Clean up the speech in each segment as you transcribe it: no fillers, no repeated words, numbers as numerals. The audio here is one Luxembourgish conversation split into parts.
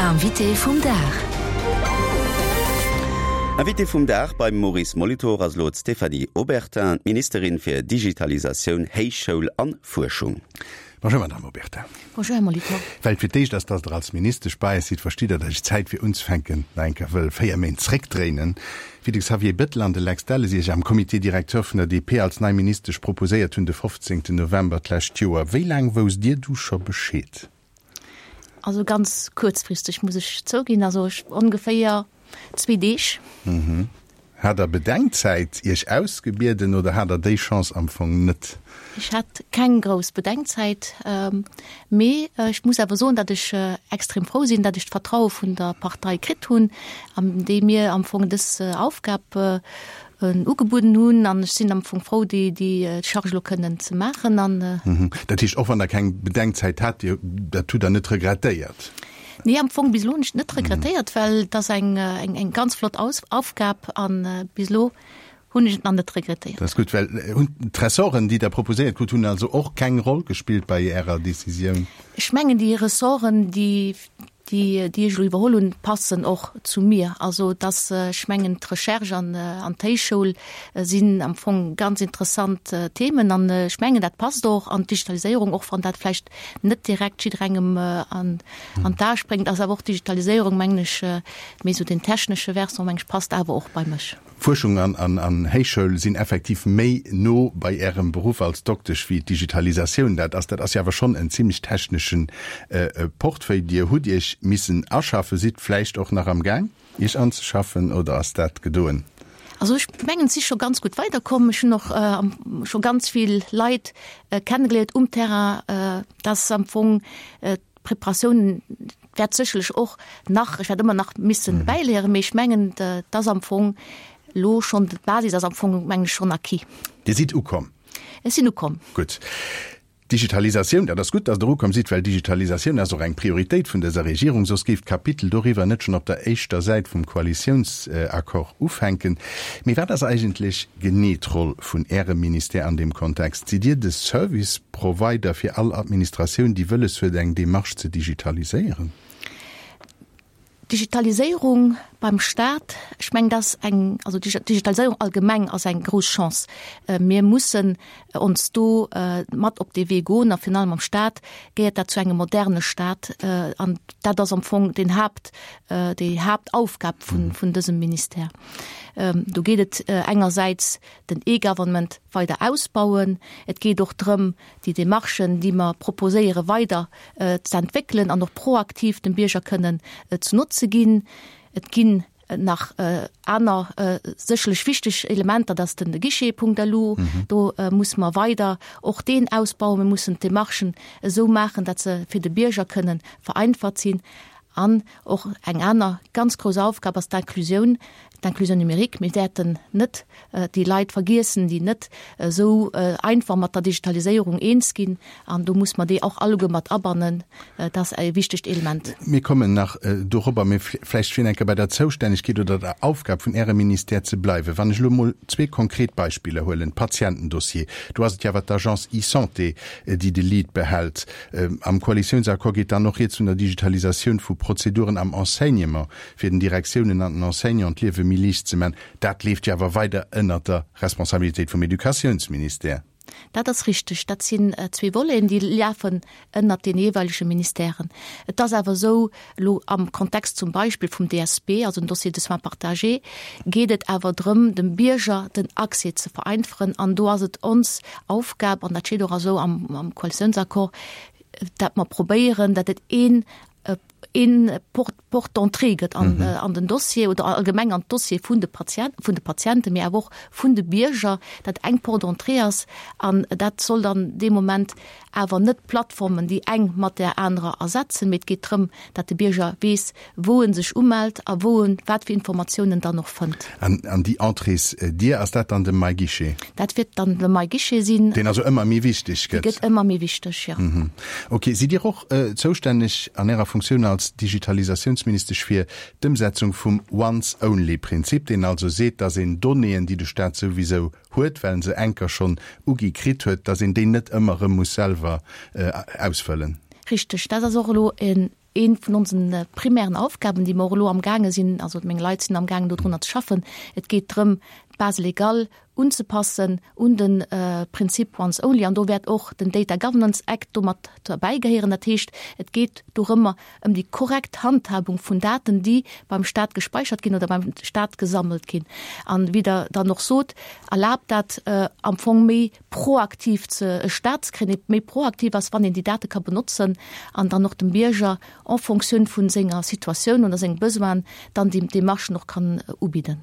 Invité vum Dag. Invité vum Dag beim Maurice Molitor ass elo d'Stéphanie Obertin, d'Ministerin fir Digitalisatioun, Héichschoul an Fuerschung. Bonjour Madame Obertin. Bonjour Här Molitor. Well et fir d'éischt ass, dass Der als Ministesch bei eis sidd, verstitt Der, dass ech d'Zäit fir unzefänken nach eng Kéier wëll 4 Méint zréckdréinen. Wéi de Xavier Bettel an de Lex Delles Iech am Comité directeur vun der DP als nei Ministesch proposéiert hunn de 15 November d'lescht Joer, wéi laang wousst Dir du scho Bescheed? Also ganz kuerzfristeg muss ech zouginn, also ongeféier zwee Deeg. Hat Der Bedenkzäit Iech ausgebieden oder hat Der déi Chance am Fong net? Ech hat keng grouss Bedenkzäit, mee ech muss awer soen, datt ech extrem frou sinn, datt ech d'Vertraue vun der Partei kritt hunn, déi mir am Fong dës Aufgab ugebueden hunn. An ech sinn am Fong frou, déi Charge elo kënnen ze maachen. Dat heescht, och wann Der keng Bedenkzäit hat, Dir, dat hutt Der net regrettéiert? Nee, am Fong bis elo hunn ech et net regrettéiert, well et ass eng, eng, eng ganz flott Aus Aufgab an bis elo hunn ech et nach net regrettéiert. Dat ass gutt, well hunn d'Ressorten, déi Der proposéiert krut hunn, also och keng Roll gespillt bei Ärer Decisioun? Ech mengen, déi Ressorten, déi, déi, déi ech elo iwwerholl hunn, passen och zu mir. Also dass, ech mengen, d'Recherche an, an d'Héichschoul sinn am Fong ganz interessant Themen an ech mengen, dat passt och an d'Digitaliséierung, och wann dat vläicht net direkt jidderengem an an d'A spréngt, ass awer och d'Digitaliséierung, mengen ech, méi esou den technesche Versant, mengen ech, passt awer och bei mech. Fuerschung an an Héichschoul sinn effektiv méi no bei Ärem Beruff als Doktesch wéi d'Digitalisatioun dat ass. Dat ass jo awer schonn en zimlech techneschen Portefeuille. Dir hutt Iech missen aschaffen, sidd vläicht och nach am Gaang Iech anzeschaffen oder ass dat gedoen? Also ech mengen, et si scho ganz gutt weiderkomm. Ech hunn och scho ganz vill Leit kennegeléiert um Terrain, dass am Fong d'Preparatioun wäert sécherlech och nach, ech wäert ëmmer nach missen bäiléieren, mee ech mengen, dass am Fong elo schonn d'Basis ass am Fong, mengen ech, schonn acquis. Dir sidd ukomm? Ech sinn ukomm. Gutt. Digitalisatioun, dat ass gutt, dass Der ukomm sidd, well Digitalisatioun ass och eng Prioritéit vun dëser Regierung, soss géif d'Kapitel doriwwer net schonn op der éischter Säit vum Koalitiounsaccord ufänken. Mee wat ass eigentlech genee d'Roll vun Ärem Ministère an deem Kontext? Sidd Dir de Service Provider fir all Administratioun, déi wëlles huet, eng Demarche ze digitaliséieren? D'Digitaliséierung beim Staat, ech mengen, dat ass eng, also d'Digitaliséierung allgemeng ass eng grouss Chance. Mir mussen ons do mat op dee Wee goen a virun allem am Staat gehéiert dat zu engem moderne Staat an dat ass am Fong den Haapt, déi Haaptaufgab vun, vun dësem Ministère. Do geet et engersäits den E-Government weider ausbauen. Et geet och drëm, déi Démarchen, déi mer proposéieren, weider ze entwéckelen an och proaktiv dem Bierger kënnen zu Notze ginn. Et ginn nach aner sécherlech wichteg Elementer, dat ass den Guichet.lu. Do musse mer weider och deen ausbauen. Mir mussen d'Demarchen esou maachen, datt se fir de Bierger kënnen vereinfacht sinn. An och eng aner ganz grouss Aufgab ass d'Inclusioun, d'Inclusion numérique. Mir wäerten net déi Leit vergiessen, déi net esou einfach mat der Digitaliséierung eens ginn. An do muss mer déi och alleguer mat abannen. Dat ass e wichtegt Element. Mir kommen nach dorobber, mee vläicht fir eng Kéier bei der Zoustännegkeet oder der Aufgab vun Ärem Ministère ze bleiwen. Wann ech elo emol zwee konkret Beispiller huelen, Patientendossier, do ass et jo awer d'Agence eSanté, déi de Lead behält. Am Koalitiounsaccord geet dann och rieds vun der Digitalisatioun vu Prozeduren am Enseignement, fir den Direktiounen an den Enseignanten d'Liewe méi liicht ze man. Dat leeft jo awer weider ënnert der Responsabilitéit vum Educatiounsministère. Dat ass richteg. Dat sinn zwee Voleten, déi lafen ënnert deene jeeweilege Ministèren. Et ass awer esou, elo am Kontext zum Beispill vum DSP, also dem Dossier de soins partagé, geet et awer drëm, dem Bierger den Accès ze vereinfachen. An do ass et ons Aufgab, an dat steet och esou am Koalitiounsaccord, dat mer probéieren, dat et een een Porte d'entrée gëtt an, mhm. an den Dossier oder allgemeng an d'Dossier vun de Patient, vun de Patienten, mee awer och vun de Bierger, dat eng Porte d'entrée ass an dat soll dann dee Moment awer net d'Plattformen déi eng mat där anerer ersetzen, mee et geet drëm, dat de Bierger weess, wou en sech umellt a wou en wat fir Informatiounen dann och fënnt. An, an déi Entréesdier, ass dat dann de MyGuichet? Dat wäert dann de MyGuichet sinn. Deen also ëmmer méi wichteg gëtt. Dee gëtt ëmmer méi wichteg, jo. Mhm. Ok. Sidd Dir och zoustänneg an Ärer Funktioun als Digitalisatiounsministesch fir d'Ëmsetzung vum Once-only-Prinzip, deen also seet, dass een Donnéeën, déi de Staat souwisou huet, well en se enker schonn ugi kritt huet, dass een déi net ëmmer erëm muss selwer ausfëllen? Richteg. Dat ass och elo e. Eent vun onsen primären Aufgaben, déi mer och elo amgaange sinn, also meng Leit sinn amgaangen dodrunner ze schaffen, et geet drëm, d'Base légale unzepassen un de Prinzip once only. An do wäert och den Data Governance Act do mat derbäi gehéieren. Dat heescht, et geet dorëmmer ëm déi korrekt Handhabung vun Daten, déi beim Stat gespeichert ginn oder beim Stat gesammelt ginn. An, wéi Der dann och sot, erlaabt dat am Fong méi proaktiv ze e Staat ze kréien, dee méi proaktiv ass, wann een déi Date ka benotzen an dann och dem Bierger en Fonctioun vu senger Situatioun oder senge Besoinen dann déi Démarchen och kann ubidden.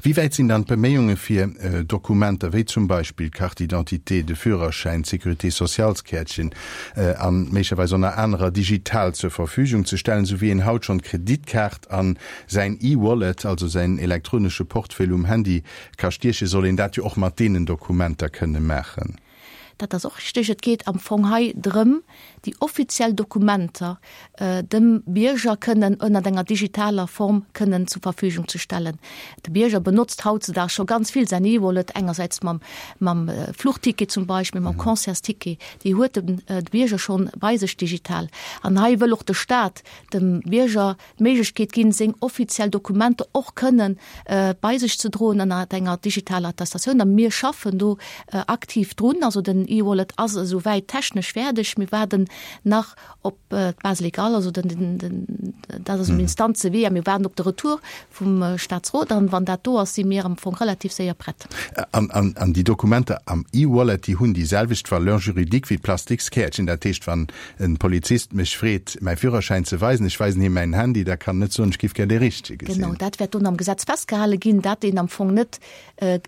Wéi wäit sinn dann d'Beméiunge fir Dokumenter wéi zum Beispill d'Carte d'identité, de Führerschäin, d'Sécurité-sociales-Käertchen an méiglecherweis och nach anerer digital zur Verfügung ze stellen, esou wéi een haut schonn d'Kreditkaart an säin E-Wallet, also säin elektronesche Portefeuille um Handy, Ka stiechen, soll een dat jo och mat deenen Dokumenter kënne maachen. Dat ass och richteg. Et geet am Fong hei drëm, déi offiziell Dokumenter dem Bierger kënnen ënnert enger digitaler Form kënnen zur Verfügung ze stellen. De Bierger benotzt hautzedaags scho ganz vill säin E-Wallet, engersäits mam, mam Fluchticket zum Beispill, mam Concertsticket, déi huet de Bierger schonn bei sech digital. An hei wëll och de Stat dem Bierger d'Méiglechkeet ginn, seng offiziell Dokumenter och kënnen bei sech ze droen ënner enger digitaler Attestatioun. A mir schaffen do aktiv drun. Also den e-Wallet ass esou wäit technesch fäerdeg. Mir waarden nach op d'Base légale, also den, den, dat ass um Instanzewee a mir waarden op de Retour vum Staatsrot. An wann dat do ass, si mir am Fong relativ séier prett. An, an, an déi Dokumenter am e-Wallet, déi hunn déi selwecht Valeur juridique wéi d'Plastikskäertchen. Dat heescht, wann En Polizist mech freet mäi Führerschäin ze weisen, ech weisen him mäin Handy, da kann en net soen, ech giff gär dee richtege gesinn. Genau, dat wäert dunn am Gesetz festgehale ginn, dat een am Fong net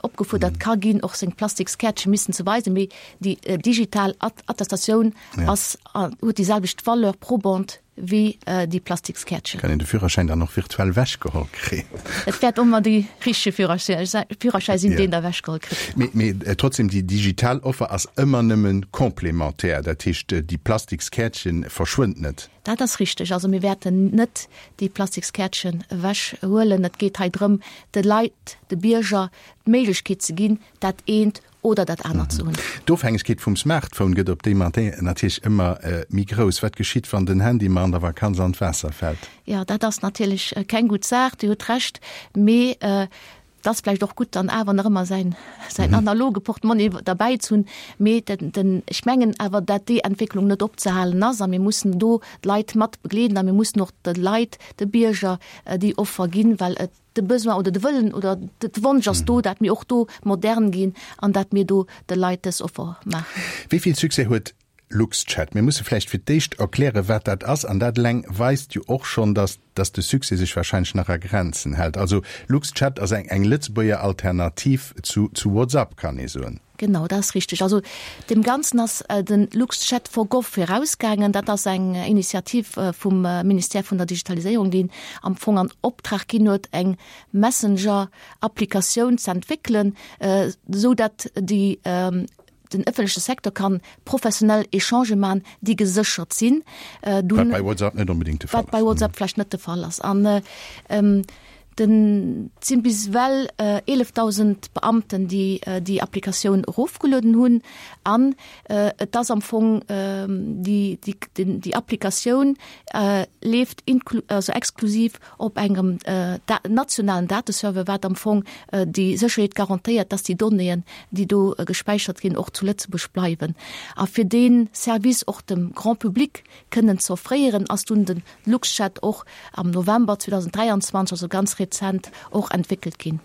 opgefuerdert ka ginn, och seng Plastikskäertche missen ze weisen, mee déi digital Attestatioun ass, huet déi selwecht Valeur probante wéi déi Plastikskäertchen. Kann een de Führerschäin dann och virtuell ewechgeholl kréien? Et wäert ëmmer dee richtege Führerschäi sinn, deen der ewechgeholl kritt. Mee, mee trotzdem, déi digital Offer ass ëmmer nëmme complémentaire, dat heescht, déi Plastikskäertchen verschwënnt net. Dat ass richteg. Also mir wäerten net déi Plastikskäertchen ewechhuelen. Et geet hei drëm, de Leit, de Bierger d'Méiglechkeet ze ginn, dat eent oder dat anert ze hunn. D'Ofhängegkeet vum Smartphone gëtt op déi Matin natierlech ëmmer méi grouss. Wat geschitt, wann den Handy mer an der Vakanz an d'Waasser fält? Jo, dat ass natierlech keng gutt Saach, Dir hutt Recht. Mee et ass vläicht och gutt, dann awer nach ëmmer säin, säin analoge Portemonnaie derbäi ze hunn. Mee den, den, ech mengen awer, dat déi Entwécklung net opzehalen ass a mir mussen do d'Leit mat begleeden a mir mussen och de Leit, de Bierger déi Offer ginn, well et, de Besoin oder de Wëllen oder de Wonsch ass do, dat mir och do modern ginn an dat mir do de Leit dës Offer maachen. Wéi vill Succès huet LuxChat? Mir musse vläicht fir d'éischt erklären, wat dat ass. An dat eleng weist jo och schonn, dass, dass de Succès sech wahrscheinlech nach a Grenzen hält. Also LuxChat ass eng, eng Lëtzebuerger Alternativ zu, zu WhatsApp, kann ee soen. Genau, dat ass richteg. Also deem Ganzen ass de LuxChat for Gov virausgaangen. Dat ass eng Initiativ vum Ministère vun der Digitaliséierung, deen am Fong an Optrag ginn huet, eng Messenger-Applikatioun ze entwéckelen, esou datt déi den ëffentleche Secteur kann professionell Echangë maachen, déi geséchert sinn. Wat bei WhatsApp net onbedéngt de Fall ass. Wat bei WhatsApp vläicht net de Fall ass. An Den sinn bis ewell 11.000 Beamten, déi déi Applikatioun erofgelueden hunn. An et ass am Fong déi déi Applikatioun leeft also exklusiv op engem nationalen Dateserver, wat am Fong déi Sécherheet garantéiert, dass déi Donnéeën, déi do gespäichert ginn, och zu Lëtzebuerg bleiwen. A fir dee Service och dem Grand public kënnen ze offréieren, ass dunn de LuxChat och am November 2023, also ganz rezent, och entwéckelt ginn.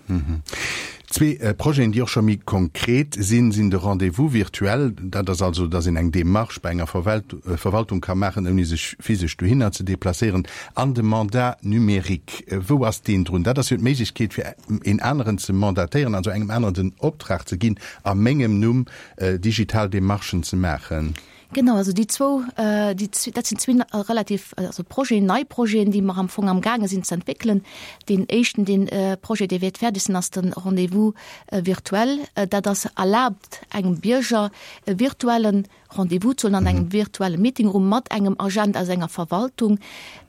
Zwee Projeten, déi och scho méi konkret sinn, sinn de Rendez-vous virtuel, dat ass also, dass een eng Demarche bei enger Verwaltung ka maachen, ouni sech physesch dohinner ze deplacéieren, an de Mandat numérique. Wou ass deen drun? Dat ass jo d'Méiglechkeet, fir een aneren ze mandatéieren, also engem aneren den Optrag ze ginn, a mengem Numm digital Demarchen ze maachen. Genau, also déi zwou, déi, dat sinn zwee relativ, also Projeten, nei Projeten, déi mer am Fong amgaange sinn ze entwéckelen. Deen éischten, deen Projet, dee wäert fäerdeg sinn, ass de Rendez-vous virtuel. Dat ass erlaabt engem Bierger e virtuelle Rendez-vous ze huelen an engem virtuelle Meetingroom mat engem Agent aus enger Verwaltung.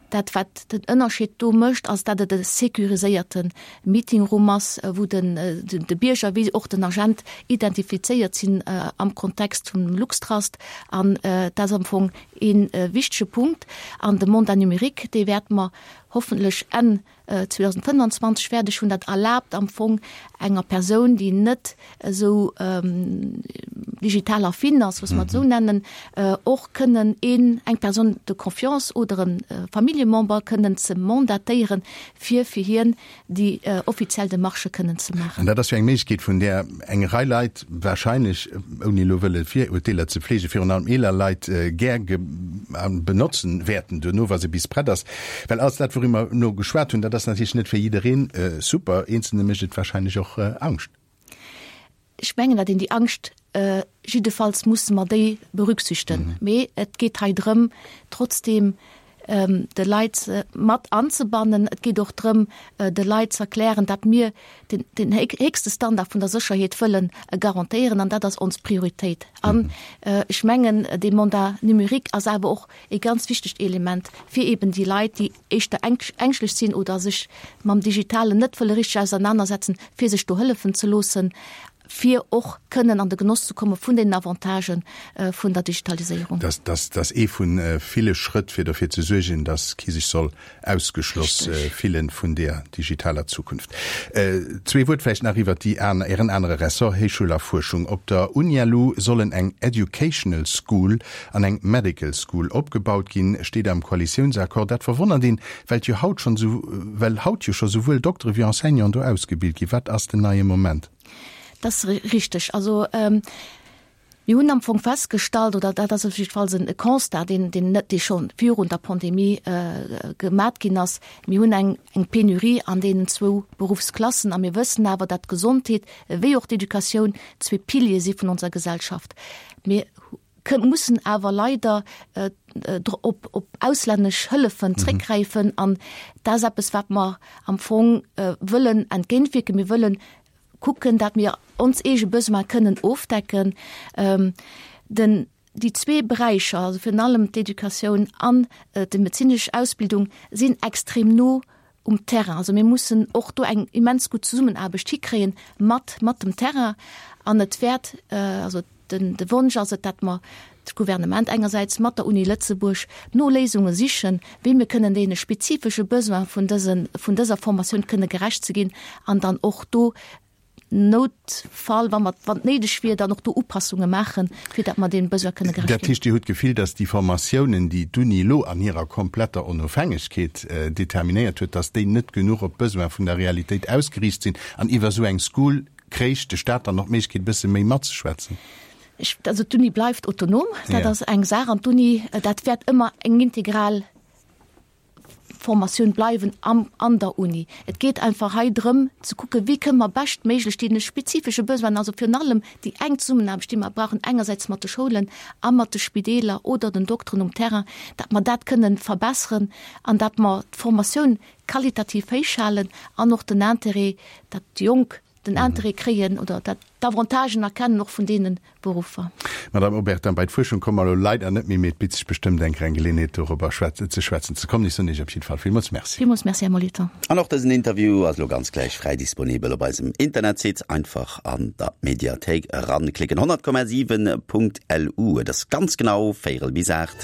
Dat, wat den Ënnerscheed do mécht, ass, dat et e sécuriséierte Meetingroom ass, wou den de Bierger wéi och den Agent identifizéiert sinn am Kontext vum LuxTrust. An dat ass am Fong ee wichtege Punkt. An de Mandat numérique, dee wäerte mer hoffentlech Enn 2025 fäerdeg hunn. Dat erlaabt am Fong enger Persoun, déi net esou digital affin ass, loosse mer et esou nennen, och kënnen een, eng Personne de confiance oder e Familljemember kënnen ze mandatéieren, fir fir hien déi offiziell Demarchë kënnen ze maachen. An dat ass jo eng Méiglechkeet, vun där eng Rei Leit wahrscheinlech, ouni elo wëlle Virurteeler ze fleegen, virun allem eeler Leit, gär benotzen wäerten duerno, wa se bis prett ass. Well alles dat, wouriwwer mer elo geschwat hunn, dat ass natierlech net fir jiddereen super. Eenzelne mécht et wahrscheinlech och Angscht. Ech mengen, datt een déi Angscht, jiddefalls musse mer déi berücksichten. Mee et geet hei drëm, trotzdeem de Leit mat anzebannen. Et geet och drëm, de Leit ze erklären, datt mir den, den héchste Standard vun der Sécherheet wëllen garantéieren, an dat ass ons Prioritéit. An ech mengen, dee Mandat numérique ass awer och e ganz wichtegt Element, fir eben déi Leit, déi éischter ängschtlech sinn oder sech mam Digitalen net wëlle richteg ausernanersetzen, fir sech do hëllefen ze loossen, fir och kënnen an de Genoss ze komme vun deenen Avantagë vun der Digitaliséierung. Dat ass ee vu ville Schrëtt, fir derfir ze suergen, datt kee sech soll ausgeschloss fillen vun där digitaler Zukunft. Zwee Wuert vläicht nach iwwert déi aner, Ären anere Ressort, Héichschoul a Fuerschung. Op der UNILU sollen eng Educational School an eng Medical School opgebaut ginn, steet am Koalitiounsaccord. Dat verwonnert een, well et jo haut schonn esou, well haut jo scho souwuel Doktere wéi Enseignanten do ausgebilt ginn. Wat ass den neie Moment? Dat ass richteg. Also mir hunn am Fong festgestallt, oder dat ass op jiddefalls e Constat, deen, deen net, dee scho virun der Pandemie gemat ginn ass, Mir hunn eng, eng Penurie an deenen zwou Beruffsklassen a mir wëssen awer, dat d'Gesondheet wéi och d'Educatioun zwee Piliere si vun onser Gesellschaft. Mir mussen awer leider op, op auslännesch Hëllefen zréckgräifen an dat ass eppes, wat mer am Fong wëllen entgéintwierken. Mir wëllen kucken, dat mir ons eege Besoin kënnen ofdecken. Den, déi zwee Beräicher, also virun allem d'Educatioun an déi medezinesch Ausbildung, sinn extrem no um Terrain. Also mir mussen och do eng immens gutt Zesummenaarbecht hikréien mat, mat dem Terrain. An et wäert, also den, de Wonsch ass et, dat mer d'Gouvernement engersäits mat der Uni Lëtzebuerg no Léisunge sichen, wéi mir kënnen deene spezifesche Besoin vun dësen, vun dëser Formatioun kënne gerecht ze ginn an dann och do Noutfall, wa mer, wann et néideg wier, dann och do Upassunge maachen, fir datt mer deem Besoin kënne gerecht ginn. Dat heescht, Dir hutt d'Gefill, datt déi Formatiounen, déi d'Uni elo an hirer kompletter Onofhängegkeet determinéiert huet, datt déi net genuch op d'Besoin vun der Realitéit ausgeriicht sinn an iwwer esou eng School kréich de Staat dann och d'Méiglechkeet, e bësse méi matzeschwätzen? Ech, also d'Uni bleift autonom, dat ass eng Saach an d'Uni, dat wäert ëmmer eng integral Formatioun bleiwen am an der Uni. Et geet einfach hei drëm ze kucken, wéi kënne mer beschtméiglech deene spezifesche Besoinen, also virun allem déi enk Zesummenaarbecht, déi mer brauchen, engersäits mat de Schoulen a mat de Spideeler oder den Dokteren um Terrain, datt mer dat kënnen verbessern an datt mer d'Formatioun qualitativ héichhalen an och den Intérêt, datt déi Jonk den Intérêt kréien oder dat d'Avantagen erkennen och vun deene Beruffer. Madame Obertin, bei d'Fuerschung komme mer elo leider net méi, mee et bitt sech bestëmmt eng Kéier eng Geleeënheet dorobber ze schwätzen ze kommen. Ech soen Iech op jidde Fall villmools Merci. Villmools Merci, Här Molitor. An och dësen Interview ass elo ganz gläich fräi disponibel op eisem Internetsite. Einfach an der Mediathéik eranklicken, 100,7.lu. Et ass ganz genau véierel bis 8.